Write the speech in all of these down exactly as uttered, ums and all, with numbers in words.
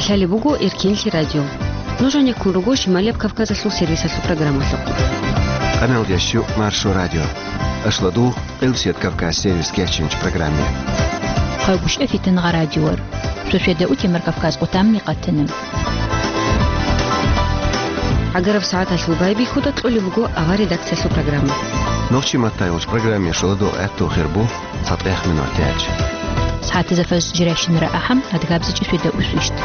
Лъалеб буго Эркенлъи радио. Нуж гьанеккун руго Шималияб Кавказалъул сервисалъул программалъухъ. Къаналдиящу Маршо радио. Ашладу Къилсият Кавказ сервис кечинч программе. Хъайбушев Фитнагъа радиор. Суседа утемар Кавказ къутамни къатана. ГӀагараб сагӀаталъул байбихьуда кьолеб буго авар редакциялъул программа. Нохчи маттайулч программе шуладул гӀатту хирбу. ЦатӀех минутач. СагӀатизафас жиращинара ахӀам, адгабзичӀи суда усвищт.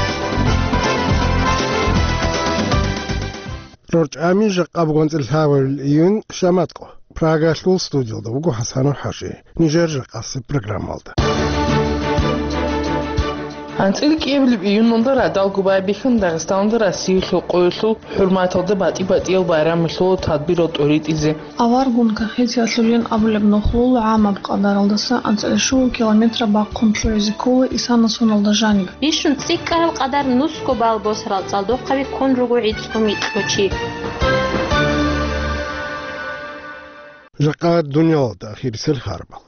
РорчӀами жакъа бугонцӀил лъабабил июнь шаматкъо. Прагалъул студиялда вуго ХӀасанов ХӀажи. Нижер жакъасеб программалда. АнцӀил кӀиабилеб июналда радал губай бихьун Дагъистаналда Россиялъул къоялъул хӀурматалда батӀи-батӀиял байрамалъул тадбирал тӀоритӀизе. Аваргун кахетиялъулин абулеб нухлул гӀамаб къадаралдаса анцӀила щуго километра бахъун лъугӀизе ккола Исана соналда жаниб. Бищун цӀикӀкӀараб къадар нусго бал босарал цӀалдохъаби ккун руго гӀицӀго микьго чи. Жакъа дуниялалда ахирисел харбал.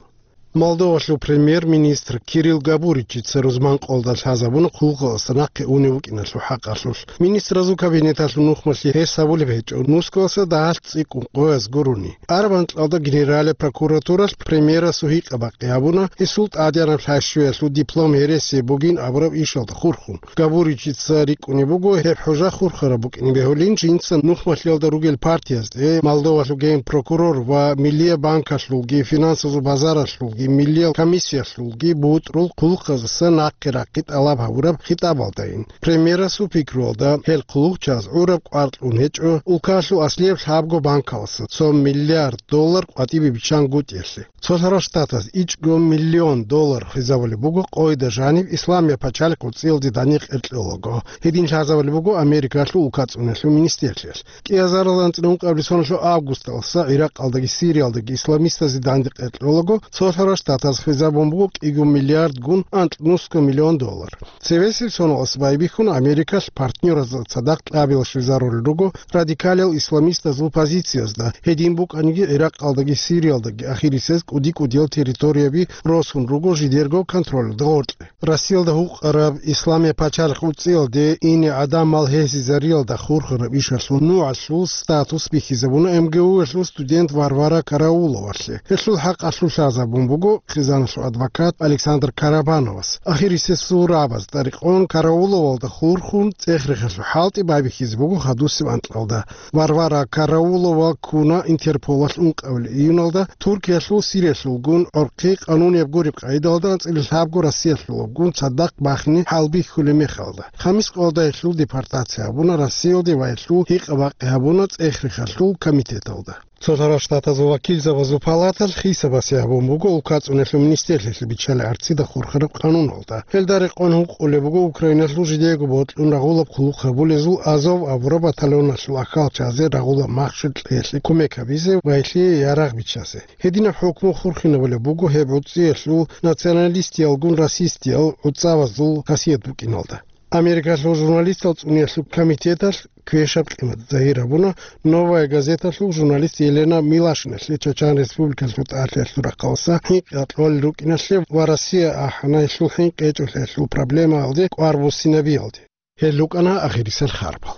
Молдовалъул премьер-министр Кирилл Габуричица рузман къолда лъазабуна хъулухъалдаса нахъе унев вукӀиналъул хӀакъалъулъ. Министразул кабинеталъул нухмалъи гьес гьабулеб гьечӀо нусгоялдаса дагьалъ цӀикӀкӀун къояз гурони. Араб анкьалда Генералияб прокуратуралъ премьерасул гьикъа-бакъи гьабуна гьесул тӀадегӀанаб лъайщуялъул диплом гьересияб бугин абураб ишалда хурхун. Габуричица рикӀкӀунеб буго гьеб хӀужа хурхараб букӀине бегьулин жинца нухмалъиялда ругел партиязде, Молдовалъул генпрокурор ва Миллияб банкалъулги, финансазул базаралъулги, Миллиял комиссиялъулги бутӀрул хъулухъаздаса нахъе рахъи тӀалаб гьабураб хитӀабалдайин. Премьерасул пикруялда, гьел хъулухъчияз гӀураб кӀвар кьун гьечӀо улкалъул аслияб лъабго банкалдаса цо миллиард доллар къватӀибе биччангутӀиялъе. Цолъарал Штатаз ичӀго миллион доллар хвезабулеб буго къойда жаниб Исламияб пачалихъ гӀуцӀиялде дандекъер кьолаго. Гьедин лъазабулеб буго Америкалъул улкацӀуналъул министрлъиялъ. КӀиазаралда анцӀила ункъабилеб соналъул августалдаса ГӀиракъалдаги Сириялдаги исламистазе дандекъер кьолаго, Цолъарал Штатаз хвезабун буго кӀиго миллиардгун анкьнусго миллион доллар. Цевесеб соналдаса байбихьун Америкалъ партнёразда цадахъ кьабилалъ щвезарулел руго радикалиял исламистазул позициязда, гьедин букӀаниги ГӀиракъалдаги Сириялдаги ахирисез кӀуди-кӀудиял территорияби росун руго жидерго контролалда гъоркье. Россиялда гьукъараб Исламияб пачалихъ гӀуцӀиялде ине гӀадамал гьезизариялда хурхараб ишалъул нугӀлъул статус бихьизабуна МГУ-ялъул студент Варвара Карауловалъе. Гьелъул хӀакъалъулъ лъазабун буго хъизаналъул адвокат Александр Карабановас. Ахирисез сурабаз тӀарикъун Карауловалда хурхун цӀех-рехалъул хӀалтӀи байбихьизе буго хадусеб анкьалда. Варвара Караулова ккуна Интерполалъ ункъабилеб июналда Туркиялъул Сириялъулгун гӀорхъи къанунияб гуреб къагӀидалда анцӀила лъабго Россиялъулабгун цадахъ бахине хӀалбихьулеб мехалда. Хамис къолда гьелъул депортация гьабуна Россиялде ва гьелъул гьикъа-бакъи гьабуна цӀех-рехалъул комитеталда. Цолъарал Штатазул вакилзабазул палаталъ хисабасе гьабун буго улкацӀуналъул министрлъиялъе биччалеб гӀарцида хурхараб къануналда. Гьелда рекъон гьукъулеб буго Украиналъул жидеего бокьун рагъулаб хъулухъ гьабулезул Азов абураб батальоналъул ахьалчазе рагъулаб махщел кьеялъе кумек гьабизе ва гьелъие ярагъ биччазе. Гьединаб хӀукму хурхинабулеб буго гьеб гӀуцӀиялъул националистиялгун расистиял гӀуцӀавазул хасият букӀиналда. Америкалъул журналистал цӀуниялъул комитеталъ квешаб къимат загьир гьабуна «Новая газеталъул» журналист Елена Милашиналъе Чачан Республикалъул тӀалъиялъул рахъалдаса хӀинкъи кьолел рукӀиналъе ва Россия ахӀана гьелъул хӀинкъи гьечӀолъиялъул проблемаялде кӀвар буссинабиялде. Гьел рукӀана ахирисел харбал.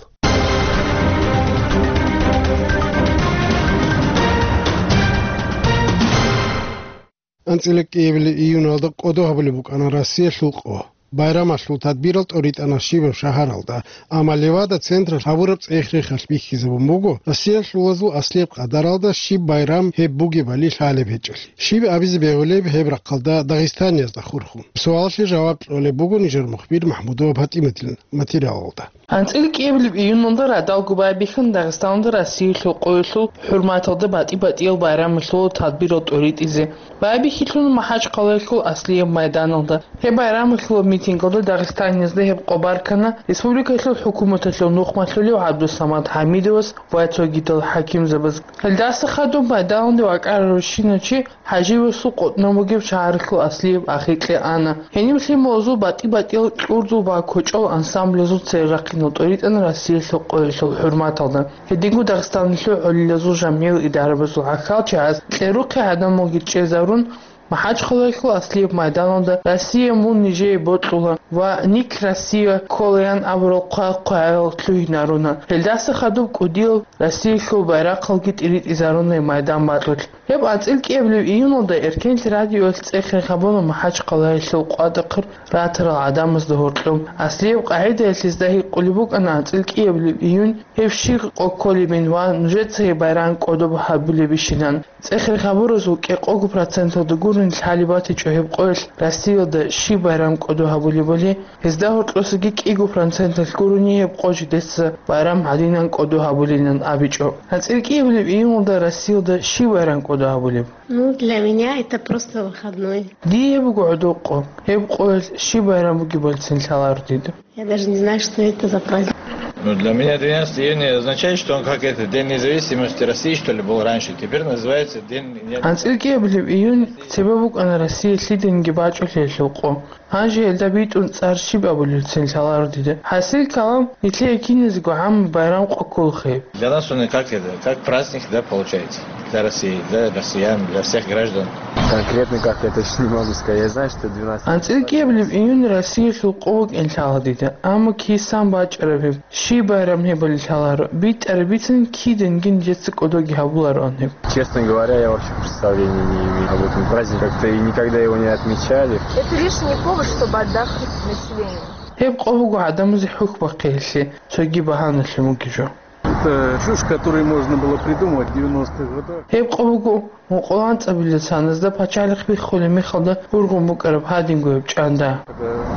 АнцӀила кӀиабилеб июналда кӀодо гьабулеб букӀана Россиялъул къо. Байрамалъул тадбирал тӀоритӀана щибаб шагьаралда, амма Левада централъ гьабураб цӀех-рехалъ бихьизабун буго Россиялъулазул аслияб къадаралда щиб байрам гьеб бугебали лъалеб гьечӀолъи. Щиб абизе бегьулеб гьеб рахъалда дагъистаниязда хурхун? Суалалъе жаваб кьолеб буго нижер мухбир МахӀмудова ПатӀиматил материалалда. АнцӀила кӀиабилеб июналда радал губай бихьун Дагъистаналда Россиялъул къоялъул хӀурматалда батӀи-батӀиял байрамалъул тадбирал тӀоритӀизе. Байбихьилъун МахӀачхъалаялъул аслияб майданалда. Гьеб байрамалъул митингалда Дагъистаниязда гьеб къо баркана республикалъул хӀукуматалъул нухмалъулев ГӀабдусамат ХӀамидовас ва цогидал хӀакимзабаз. Гьелдаса хадуб майданалде вакӀарал рощиначи ХӀаживасул къотӀнов бугеб шагьаралъул аслияб ахикье ана. Гьениб лъималазул батӀи-батӀиял кьурзул ва кочӀол ансамблазул церехъинал тӀоритӀана Россиялъул къоялъул хӀурматалда. Гьединго Дагъистаналъул гӀолилазул жамгӀиял идарабазул гӀахьалчагӀаз кьерухъе гӀадамалги чӀезарун, МахӀачхъалаялъул аслияб майданалда «Россия, мун нижее бокьула» ва «Ник Россия кколаян» абурал хъвай-хъваял лъугьинаруна. Гьелдаса хадуб кӀудиял Россиялъул байрахъалги тӀиритӀизаруна майдан бакьулъ. Гьеб анцӀил кӀиабилеб июналда Эркенлъи радиоялъ цӀехере гьабуна МахӀачхъалаялъул къватӀахъе ратарал гӀадамазда гьоркьоб. Аслияб къагӀидаялъ гьезда гьикъулеб букӀана анцӀил кӀиабилеб июнь гьеб щиб къо кколебин ва нужеца гьеб байрам кӀодоб гьабулебищилан. ЦӀехере гьабуразул кӀикъого проценталда гурони лъалеб батичӀо гьеб къоялъ Россиялда щиб байрам кӀодо гьабулебали, гьезда гьоркьосаги кӀиго проценталъ гурони гьеб къо жидеца байрам гьадинан кӀодо гьабулилан абичӀо. АнцӀил кӀиабилеб июналда Россиялда щиб байрам кӀодо гьабулеб? Ну, для меня это просто выходной. Дие гьеб буго гӀодоб къо. Гьеб къоялъ щиб байрам бугебалцин лъаларо дида. Я даже не знаю, что это за праздник. Ну, для меня тринадцатого июня означает, что он как это, День независимости России, что ли, был раньше. Теперь называется День... АнцӀил кӀиабилеб июнь цебе букӀана Россия лъиданиги бачӀулъиялъул къо. Гьанже гьелда битӀун цӀар щиб абулелцин лъаларо дида. ХӀасил калам, нилъее киназего гӀаммаб байрам къо кколаха гьеб. Для нас он и как это, как праздник, да, получается. Для России, для россиян, для всех граждан. Конкретно как это, ещё не могу сказать. Я знаю, что двенадцатого... АнцӀил кӀиабилеб июнь Россиялъул къо букӀин лъала дида, амма кисан бачӀараб гьеб? Щиб байрам гьебали лъаларо, битӀараб бицин киданги нижеца кӀодоги гьабулароан гьеб. Честно говоря, я вообще представления не имею об этом празднике. Как-то и никогда его не отмечали. Это лишний повод, чтобы отдохнуть населению. Гьеб къо буго гӀадамазе хӀухь бахъиялъе, цоги багьаналъе мугижо. Это чушь, которую можно было придумать в девяностых годах. Гьеб къо буго мукъула анцӀабилеб саназда пачалихъ биххулеб мехалда ургъун букӀараб гьадинго гьеб чӀанда.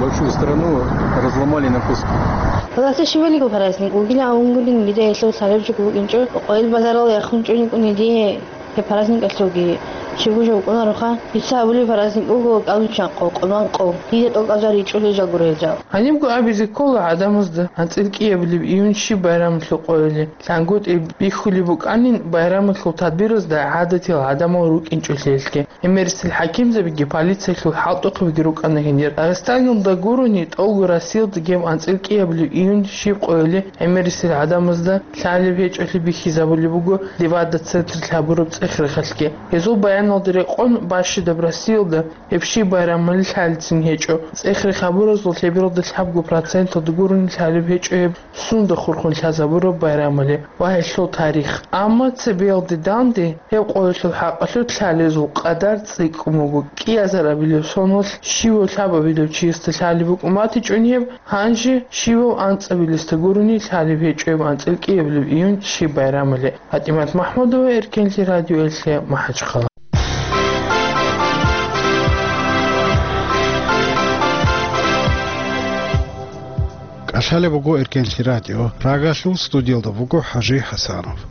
Большую страну разломали на куски. Гьаласе щибалиго праздник вугилан авунгулин дида гьелъул лъалеб жо букӀинчӀо, къойил базарал яхун чӀунчӀуни дида гьеб праздникалъулги щибго жо букӀунароха. Дица абулеб праздник буго кӀалбиччан къо, къолбан къо. Дида тӀокӀаб жал ричӀулел жал гуро гьел жал. Гьанибго абизе ккола гӀадамазда анцӀил кӀиабилеб июнь щиб байрамалъул къойилан. ЛъангутӀи бихьулеб букӀанин байрамалъул тадбиразда гӀадатиял гӀадамал рукӀинчӀолъиялъги. ГӀемерисел хӀакимзабиги полициялъул хӀалтӀухъабиги рукӀана гьенир. Дагъистаналда гурони, тӀолго Россиялдаги анцӀил кӀиабилеб июнь щиб къойилан гӀемерисел гӀадамазда лъалеб гьечӀолъи бихьизабулеб буго Левада централъ гьабураб цӀех-рехалъги. Гьезул баяналда рекъон, бащадаб Россиялда гьеб щиб байрамалъ лъалецин гьечӀо. ЦӀех-рех гьабуразул лъебералда лъабго проценталда гурони лъалеб гьечӀо гьеб сунда хурхун лъазабураб байрамалъ ва гьелъул тарих. Амма цебеялде данде гьеб къойилъул хӀакъалъулъ лъалезул къадар цӀикӀкӀун буго. КӀиазарабилеб соналъ щивав лъабабилев чиясда лъалеб букӀун батичӀони гьеб, гьанже щивав анцӀабилесда гурони лъалеб гьечӀо гьеб анцӀил кӀиабилеб июнь щиб байрамалъ. ПатӀимат МахӀмудова, Эркенлъи радиоялъе, МахӀачхъала. КӀалъалеб буго Эркенлъи радио. Прагалъул студиялда вуго ХӀажи ХӀасанов.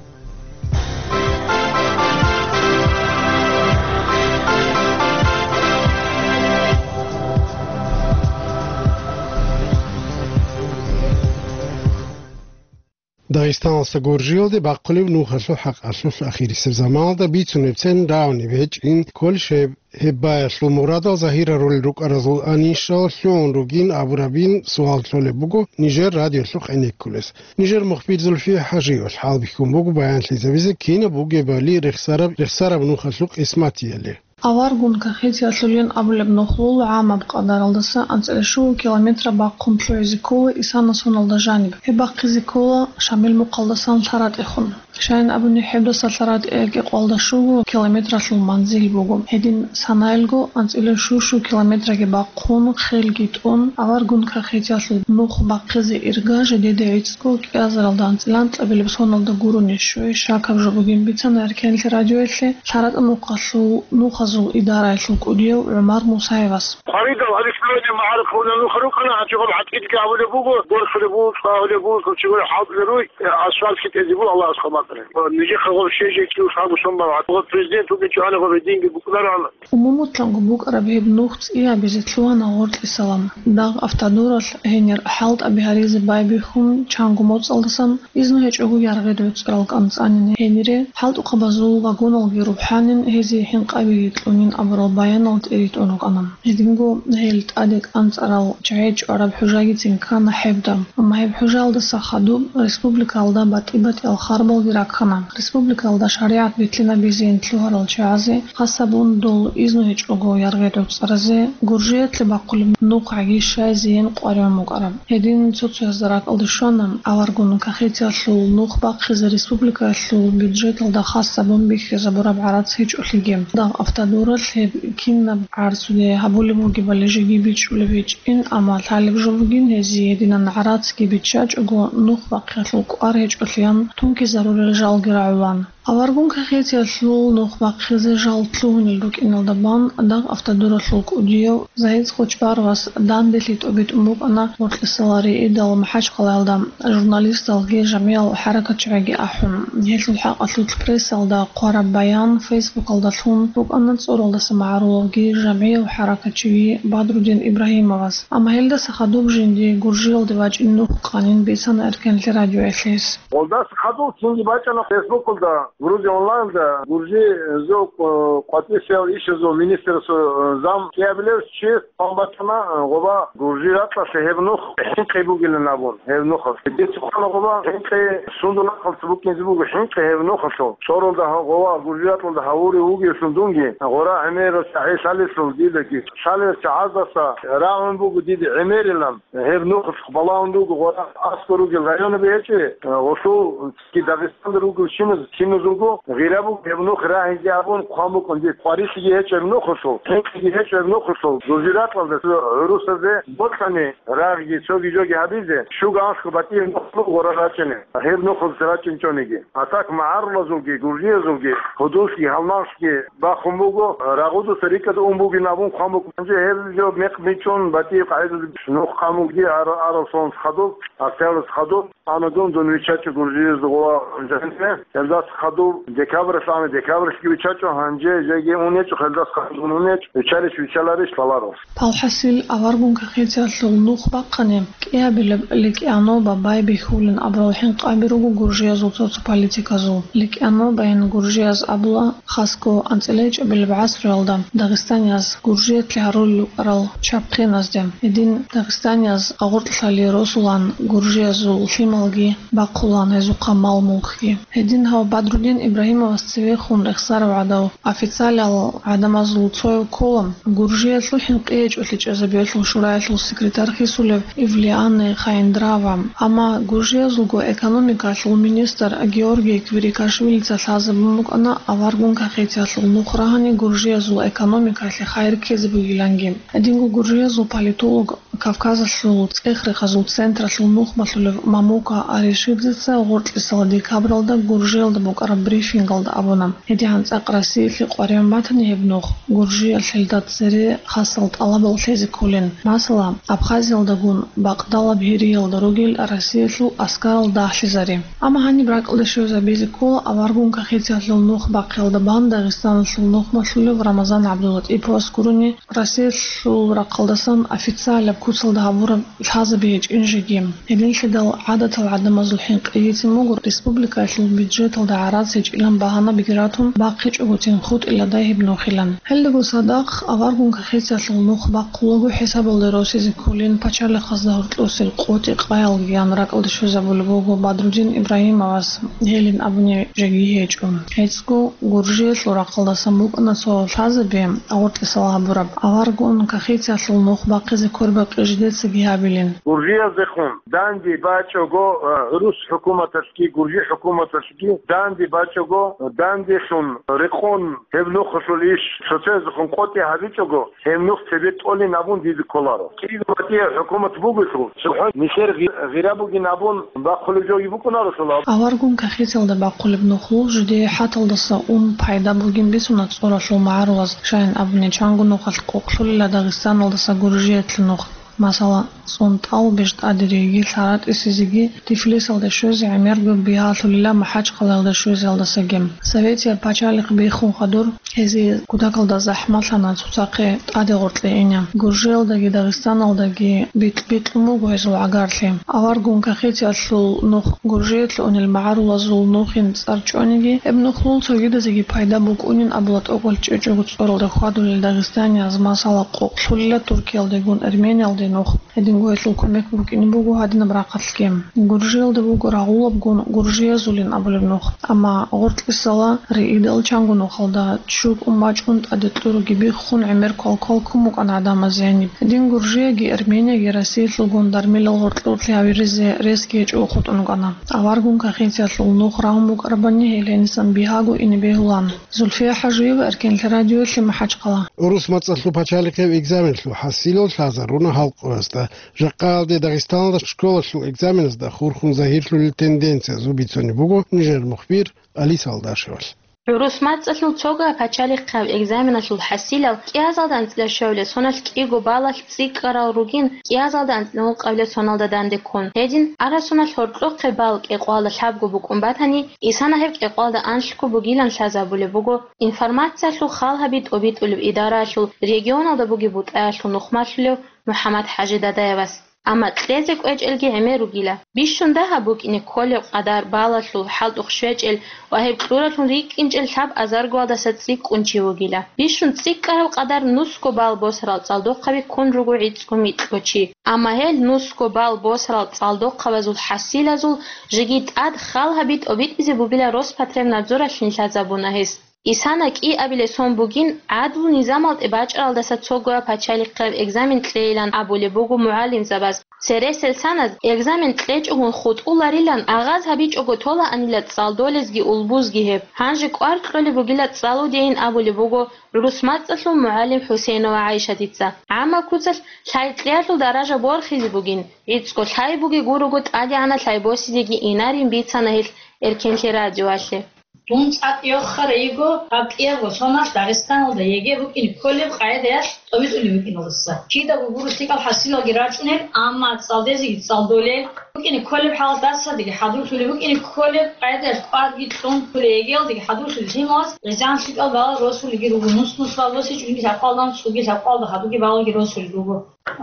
Дагъистаналдаса Гуржиялде бахъулеб нухалъул хӀакъалъулъ ахирисеб заманалда бицунебцин равнеб гьечӀин кколищ гьеб? Гьеб баялъул мурадал загьирарулел рукӀаразул анищал лъугӀун ругин абурабин суал кьолеб буго нижер радиолъухъ гӀенеккулес. Нижер мухбир Зульфия ХӀажиевалъ хӀалбихьун буго баянлъизабизе кинаб бугебали рехсараб, рехсараб нухалъул къисматиялъе. Аваргун Кахетиялъулин абулеб нухлул гӀамаб къадаралдаса анцӀила щуго километра бахъун лъугӀизе ккола Исана соналда жаниб. Гьеб бахъизе ккола Шамил мухъалдасан ЛъаратӀехун. Щайин абуни, гьебдаса ЛъаратӀе кӀикъоялда щуго километралъул манзил буго. Гьедин санаялго анцӀила щу-щу километраги бахъун, хелги тӀун, Аваргун Кахетиялъул нух бахъизе ирга жидеде гӀицӀго кӀиазаралда анцӀила анкьабилеб соналда гурони щвей щакаб жо бугин бицана Эркенлъи радиоялъе ЛъаратӀа нухалъул нухазул идараялъул кӀудияв ГӀумар Мусаевас. Къваридал Александровни магӀарухъ гьуна нуха рукӀана, гьанже гъаб гӀатӀидги гьабулеб буго, борхулеб буго, цӀалулеб буго, цо чӀугури хӀалтӀулел руй, асфальт хитӀезе буго, Аллагьас хъамакъаре. Нижехъа гъаб щвей-жеги кӀиго лъабго сон бан, гъаб президент вугин чӀвана, гъаб гьединги букӀунароан. Умумулъанго букӀараб гьеб нух цӀиябизе лъугьана гъоркьисалан. Дагъ автодоралъ гьенир хӀалтӀаби гьаризе байбихьун, чанго моцӀалдасан, изну гьечӀого яргъи доцӀарал кӀанцӀанин гьенире, хӀалтӀухъабазул вагоналги рухӀанин, гьезие хӀинкъабиги кьунин абурал баянал тӀиритӀун рукӀана. Гьединго гьел тӀаде кӀанцӀарал чагӀи чӀвараб хӀужагицин ккана гьебда. Амма гьеб хӀужалдаса хадуб республикалда батӀи-батӀиял харбалги раккана. Республикалда шаригӀат битӀинабизейин лъугьарал чагӀазе, хасабун дол изну гьечӀого яргъи гӀуцӀаразе, Гуржиялъе бахъулеб нухъаги щайзейин къваригӀун букӀараб. Гьедин цо-цоязда ракӀалде щвана аваргун кахетиялъул нух бахъизе республикаялъул бюджеталда хасабун бихьизабураб гӀарац гьечӀолъиги. Дагъ автодуралъ гьеб кинаб гӀарцуде гьабулеб бугебали жеги бичӀчӀулеб гьечӀин, амма лъалеб жо бугин гьезие гьединан гӀарацги биччачӀого нух бахъиялъул кӀвар гьечӀолъиян тункизарурел жалги рагӀулан. Аваргун кахетиялъул нух бахъизе жал лъугьунел рукӀиналда бан дагъ автодуралъул кӀудияв Загьид Хочбаровас данделъи тӀобитӀун букӀана гъоркьисалари идал МахӀачхъалаялда. Журналисталги жамигӀал хӀаракатчагӀиги ахӀун, гьелъул хӀакъалъулъ прессалда хъвараб баян Фейсбукалда лъун букӀана цӀоралдаса магӀарулавги жамгӀияв хӀаракатчиги Бадрудин Ибрагьимовас. Амма гьелдаса хадуб жинди Гуржиялде вачӀин нух къанин бицана Эркенлъи радиоялъ гьес. Гъолдаса хадуб цинги бачӀана Фейсбукалда, Грузия онлайнда, Гуржи, э, зо, э, къватӀисел ишазул министрасул, э, зам кӀиабилев чи хъван бачӀана, э, гъоба Гуржи ракьалъе гьеб нух хӀинкъи бугилан абун, гьеб нухалъ. Дица хъвана гъоба хӀинкъи сундул рахъалъ букӀинзе буго, хӀинкъи гьеб нухалъул. ЦӀоралда гьа-, гъоба Гуржи ракьалда гьавури вугевлъун дунги, гъора гӀемерал чагӀи лъалелъул дидаги, лъалел чагӀаздаса рагӀун буго дида гӀемерилан. Гьеб нухалъ балагьун руго гъора аскӀор ругел районаби гьечӀеб, гъолъул цинги Дагъистанда ругел чиназ-, чиназулго гъира буго гьеб нух рагьизе абун хъван букӀун дир. Къварилъиги гьечӀеб нухалъул, хӀинкъиги гьечӀеб нухалъул, Гуржи ракьалда цо гӀурусазе бокьани рагъги цоги жоги гьабизе, щуго анлъго батӀияб нухалъул гъора рачӀине, гьеб нухалъ рачӀинчӀониги. А так магӀарулазулги, гуржиязулги, гьудуллъги, гьалмагълъги бахун буго, рагъудаса рикӀкӀад ун бугин абун хъван букӀун. Гьанже гьеб жо мекъ бичӀчӀун батӀияб къагӀидаялъ нух хъван бугин ар-, арал соналъ хадуб, октябрьалъ хадуб, ана дун, дун виччачӀо Гуржиязда гъоба жанибе, гьелдаса хадуб декабрьалъ ана, декабрьалъги виччачӀо, гьанже жеги ун гьечӀо, гьелдаса хадуб ун гьечӀо, виччарищ виччаларищ лъаларо. Палхасил аваргун кахетиялъул нух бахъани, кӀиабилеб ликӀаноба байбихьулин абурал хӀинкъаби руго гуржиязул цо-цо политиказул. ЛикӀанобайин гуржияз абула, хасго анцӀила гьечӀебилеб гӀасруялда дагъистанияз гуржиялъе гьарулел рукӀарал чапхъиназде. Гьедин дагъистанияз агъоркьлъали росулан гуржиязул лъималги бахъулан, гьезухъа мал-мулкги. Гьедин гьав Бадрудин Ибрагьимовас цевехун рехсарав гӀадав, официалал гӀадамазул цояв ккола, Гуржиялъул хӀинкъи гьечӀолъи чӀезабиялъул шураялъул секретарь хисулев Ивлиани Хаиндрава. Амма гуржиязулго экономикалъул министр Георгий Квирикашвилица лъазабун букӀана аваргун кахетиялъул нух рагьани гуржиязул экономикалъе хайир ккезе бугиланги. Гьединго гуржиязул политолог, Кавказалъул цӀех-рехазул централъул нухмалъулев Мамука Аришидзеца гъоркьисала декабралда Гуржиялда букӀараб брифингалда абуна, гьедигӀан цӀакъ Россиялъе къваригӀун батани гьеб нух, Гуржиялъ гьелда цере хасал тӀалабал лъезе кколин. Масала, Абхазиялдагун бакъдалаб гьериялда ругел Россиялъул аскарал дагьлъизари. Амма гьаниб ракӀалде щвезабизе ккола аваргун кахетиялъул нух бахъиялда бан Дагъистаналъул нухмалъулев Рамазан ГӀабдулатӀиповас гурони, Россиялъул рахъалдасан официалаб куцалда гьабураб лъазаби гьечӀин жеги. Гьединлъидал гӀадатал гӀадамазул хӀинкъи гьитин буго республикаялъул бюджеталда гӀарац гьечӀилан багьанабиги ратун, бахъичӀогутин хутӀиладай гьеб нухилан. Гьелдаго цадахъ аваргун кахетиялъул нух бахъулаго хӀисабалде росизе кколин пачалихъазда гьоркьосел къотӀи-къаялгиян ракӀалде щвезабулеб буго Бадрудин Ибрагьимовас, гьелин абуни жеги гьечӀо. ГьецӀго Гуржиялъул рахъалдасан букӀана цо лъазаби агъоркьисал гьабураб, аваргун кахетиялъул нух бахъизе квербакъи жидецаги гьабилин. Гуржияздехун данде бачӀого, э, гӀурус хӀукуматалъги, гуржи хӀукуматалъги данде бачӀого, данделъун рекъон гьеб нухалъул иш цоцазехун къотӀи гьабичӀого, гьеб нух цебе тӀолин абун диде кколаро. КӀиго батӀияб хӀукумат бугелъул, цохӀо нилъер гъи-, гъира бугин абун бахъулеб жоги букӀунарелъул аб- Аваргун кахетиялда бахъулеб нухлъул жидее хӀаталдаса ун пайда бугин бицуна цӀоралъул магӀарулаз, щайин абуни чанго нухалъ къокълъулила Дагъистаналдаса Гуржиялъе нух. Масала, СунтӀал, БижтӀадириги, ЛъаратӀисизиги, Тифлисалде щвезе гӀемерго бигьалъулила МахӀачхъалаялда щвезеялдасаги. Советияб пачалихъ биххун хадур, гьезие кутакалда захӀмалъана цоцахъе тӀаде гъоркье ине. Гуржиялдаги Дагъистаналдаги бикь-бикьун буго гьезул гӀагарлъи. Аваргун кахетиялъул нух Гуржиялъе унел магӀарулазул нухин цӀар чӀониги, гьеб нухлъул цогидазеги пайда букӀунин абула тӀокӀал чӀечӀого цӀоралда хьвадулел дагъистанияз, масала, къокълъулила Туркиялдегун Эрмениялде нух. Гьединго гьелъул кумек букӀине буго гьадинаб рахъалъги. Гуржиялда буго рагъулабгун гуржиязулин абулеб нух. Амма гъоркьисала риидал чанго нухалда чуркӀун бачӀун тӀаде кьуруги биххун гӀемер квалквал ккун букӀана гӀадамаз гьениб. Гьедин Гуржияги Арменияги Россиялъулгун дармилал гъоркьорлъи гьавиризе ресги гьечӀого хутӀун рукӀана. Аваргун кахинциялъул нух рагьун букӀарабани гьел гьенисан бигьаго ине бегьулан. Зульфия ХӀажиева, Эркенлъи радиоялъе, МахӀачхъала. ГӀурус мацӀалъул пачалихъеб экзаменлъул хӀасилал лъазаруна халкъ къоясда. Жакъаялде Дагъистаналда школалъул экзаменазда хурхун загьирлъулел тенденциязул бицунеб буго нижер мухбир Алиса Алдашевалъ. ГӀурус мацӀалъул цогояб пачалихъаб экзаменалъул хӀасилал кӀиазалда анцӀила щавлил соналъ кӀиго балалъ цӀикӀкӀарал ругин, кӀиазалда анцӀила ункъабилеб соналда данде ккун. Гьедин, арасуналъ гьоркьохъеб бал кӀикъоялда лъабго букӀун батани, исана гьеб кӀикъоялда анлъго бугилан лъазабулеб буго информациялъул халгьаби тӀобитӀулеб идараялъул регионалда бугеб бутӀаялъул нухмалъулев МухӀаммад ХӀажи Дадаевас. Амма кьезе кӀвечӀелги гӀемер ругила. Бищун дагьаб букӀине кколеб къадар балалъул хӀалтӀухъ щвечӀел ва гьеб кьуралъун рикӀкӀинчӀел лъаб азаргоялдаса цӀикӀкӀун чи вугила. Бищун цӀикӀкӀараб къадар нусго бал босарал цӀалдохъаби ккун руго гӀицӀго микьго чи. Амма гьел нусго бал босарал цӀалдохъабазул хӀасилазул жеги тӀад халгьаби тӀобитӀизе бугила Роспотребнадзоралъин лъазабуна гьес. Исана кӀиабилеб сон бугин, гӀадлу-низамалде бачӀаралдаса цогояб пачалихъаб экзамен кьейилан абулеб буго мугӀалимзабаз. Цересел саназ экзамен кьечӀогун хутӀуларилан агъаз гьабичӀого толаанила цӀалдолезги улбузги гьеб. Гьанже кӀвар кьолеб бугила цӀалудейин абулеб буго гӀурус мацӀалъул мугӀалим ХӀусейнова ГӀайшатица. ГӀаммаб куцалъ лъай кьеялъул даража борхизе бугин, гӀицӀго лъай бугеб гурого тӀадегӀанаб лъай босизеги инарин бицана гьелъ Эркенлъи радиоялъе. Дун цӀакъ йохарай йиго гьаб кӀиябго соналъ Дагъистаналда ЕГЭ букӀине кколеб къагӀидаялъ тӀобитӀулеб букӀиналдаса. Кидаго гуро лъикӀал хӀасилалги рачӀунел, амма цӀалдезеги цӀалдолел, букӀине кколеб хӀалалъ дарсалдеги хӀадурлъулеб, букӀине кколеб къагӀидаялъ кӀварги кьун кколеб, ЕГЭ-ялдеги хӀадурлъулел лъималаз гӀезегӀан лъикӀал балал росулелги руго, нус-нусал босичӀониги лъабкъоялда, цоги лъабкъоялда хадуги балалги росулел руго.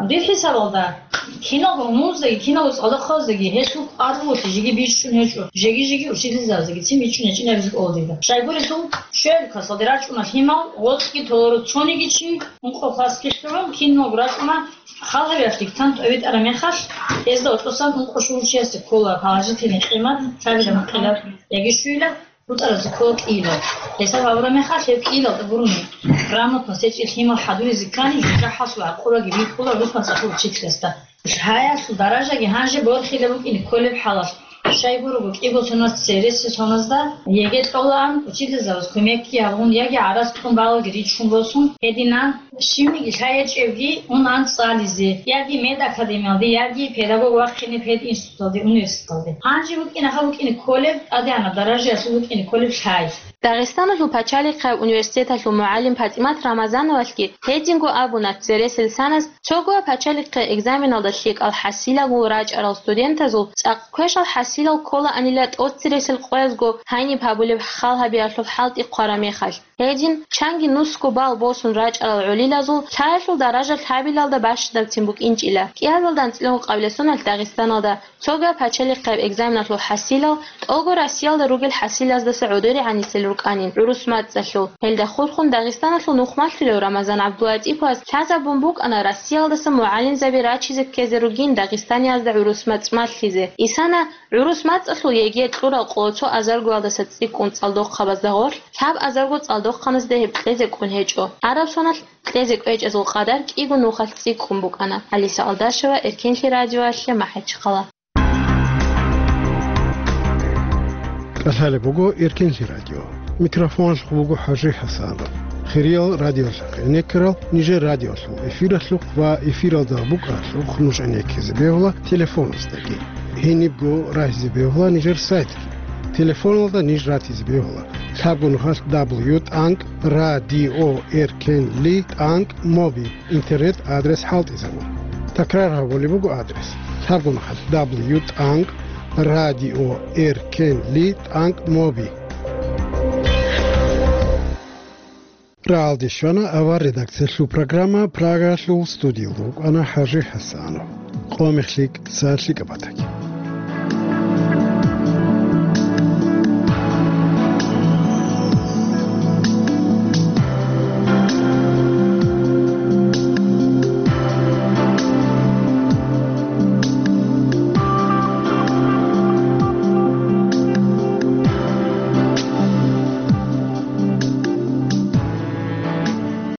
Дир хӀисабалда, киналго гьунуздаги, киналго цӀалдохъабаздаги гьелъул кӀвар бугелъи жеги бичӀчӀун гьечӀо, жеги-жеги учительзабаздаги цин бичӀчӀун гьечӀин абизе кӀолдида. Щайгурелъул, щуабилеб классалде рачӀуна лъимал, гъоцӀги толоро цониги чи, ункъо классги лъугӀун, киналго рачӀуна халгьабиялъ диктант тӀобитӀараб мехалъ, гьезда гьоркьосан ункъо щугьурчиясде ккола положительный къимат, лъабилеб ункъилаб яги щуйилаб. БутӀаразда ккола кӀиилал. Гьесаб гьабураб мехалъ, гьеб кӀиилалда гурони грамотно сечӀел лъимал хӀадуризе ккани, жужахӀалъул гӀакъубаги бихьула гӀурус мацӀалъул учительасда. Лъаялъул даражаги гьанже борхила букӀине кколеб хӀалалъ. Щайгурого кӀиго соналъ цересел соназда ЕГЭ кьолаан, учительзабаз кумекги гьабун, яги гӀарац кьун балалги риччун босун, гьединан, щибниги лъай гьечӀевги унан цӀализе, яги медакадемиялде, яги педагог вахъине пединституталде, университеталде. Гьанже букӀина гьаб букӀине кколеб, тӀадегӀанаб даражаялъул букӀине кколеб лъай. Дагъистаналъул пачалихъаб университеталъул мугӀалим ПатӀимат Рамазановалъги гьединго абуна, цересел саназ цогояб пачалихъе экзаменалда лъикӀал хӀасилаго рачӀарал студентазул цӀакъ квешал хӀасилал кколаанила тӀоцересел къоязго гьаниб гьабулеб халгьабиялъул хӀалтӀи хъвараб мехалъ. Гьедин, чанги нусго бал босун рачӀарал гӀолилазул лъаялъул даража лъабилалда бащадабцин букӀинчӀила. КӀиазалда анцӀила ункъабилеб соналъ Дагъистаналда цогаб пачалихъаб экзаменалъул хӀасилал тӀолго Россиялда ругел хӀасилаздаса гӀодоригӀанисел рукӀанин гӀурус мацӀалъул. Гьелда хурхун Дагъистаналъул нухмалъулев Рамазан ГӀабдулатӀиповас лъазабун букӀана Россиялдаса мугӀалимзаби рачизе ккезе ругин Дагъистаниязда гӀурус мацӀ малъизе. Исана ГӀурус мацӀалъул ЕГЭ кьурал къоло цо азаргоялдаса цӀикӀкӀун цӀалдохъабазда гъорлъ лъаб азарго цӀалдохъаназда гьеб кьезе кӀун гьечӀо. Араб соналъ кьезе кӀвечӀезул къадар кӀиго нухалъ цӀикӀкӀун букӀана. Алиса Алдашева, Эркенлъи радиоялъе, МахӀачхъала. КӀалъалеб буго Эркенлъи радио. Микрофоналъухъ буго ХӀажи ХӀасанов. Хириял радиолъахъ гӀенеккарал нижер радиолъул эфиралъухъ ва эфиралда букӀаралъухъ нуж гӀенеккизе бегьула телефоназдаги. Гьенибго рагьизе бегьула нижер сайтги. Телефоналда ниж ратизе бегьула лъабго нухалъ дабл ю тӀанкӀ радио эркенли тӀанкӀ моби интернет адрес хӀалтӀизабун. Такрар гьабулеб буго адрес: лъабго нухалъ дабл ю тӀанкӀ радио эркенли тӀанкӀ моби. Рагьалде щвана авар редакциялъул программа, Прагалъул студиялда вукӀана ХӀажи ХӀасанов. Къо мехлъи цалъи кӀабатаги.